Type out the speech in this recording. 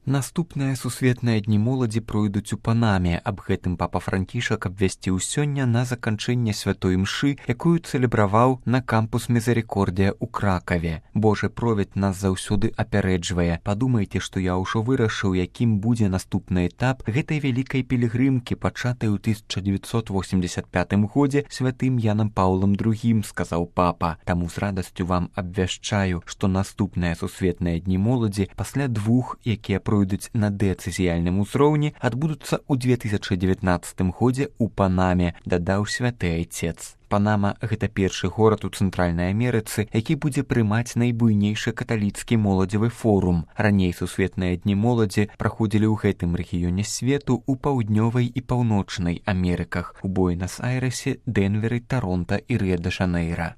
Наступныя сусветныя дні моладзі пройдуць у Панаме. Аб гэтым папа Францішак абвясціў сёння на заканчэнне святой імшы, якую цэлебраваў на кампус Мізерікордія ў Кракаве. Божы провід нас заўсёды апярэджвае. Падумайце, што я ўжо вырашыў, якім будзе наступны этап гэтай вялікай пілігрымкі, пачатай у 1985 годзе святым Янам Паўлам II, сказаў папа. Таму з радасцю вам абвяшчаю, што наступныя сусветныя дні моладзі пасля двух, якія пройдуць на дэцызіяльным узроўні, адбудуцца ў 2019 годзе ў Панаме, дадаў святы айцец. Панама – гэта першы горад у Цэнтральнай Амерыцы, які будзе прымаць найбуйнейшы каталіцкі моладзевы форум. Раней сусветныя дні моладзі праходзілі ў гэтым рэгіёне свету ў паўднёвай і паўночнай Амерыках, у Буэнас-Айрэсе, Дэнверы, Таронта і Рыа-дэ-Жанэйра.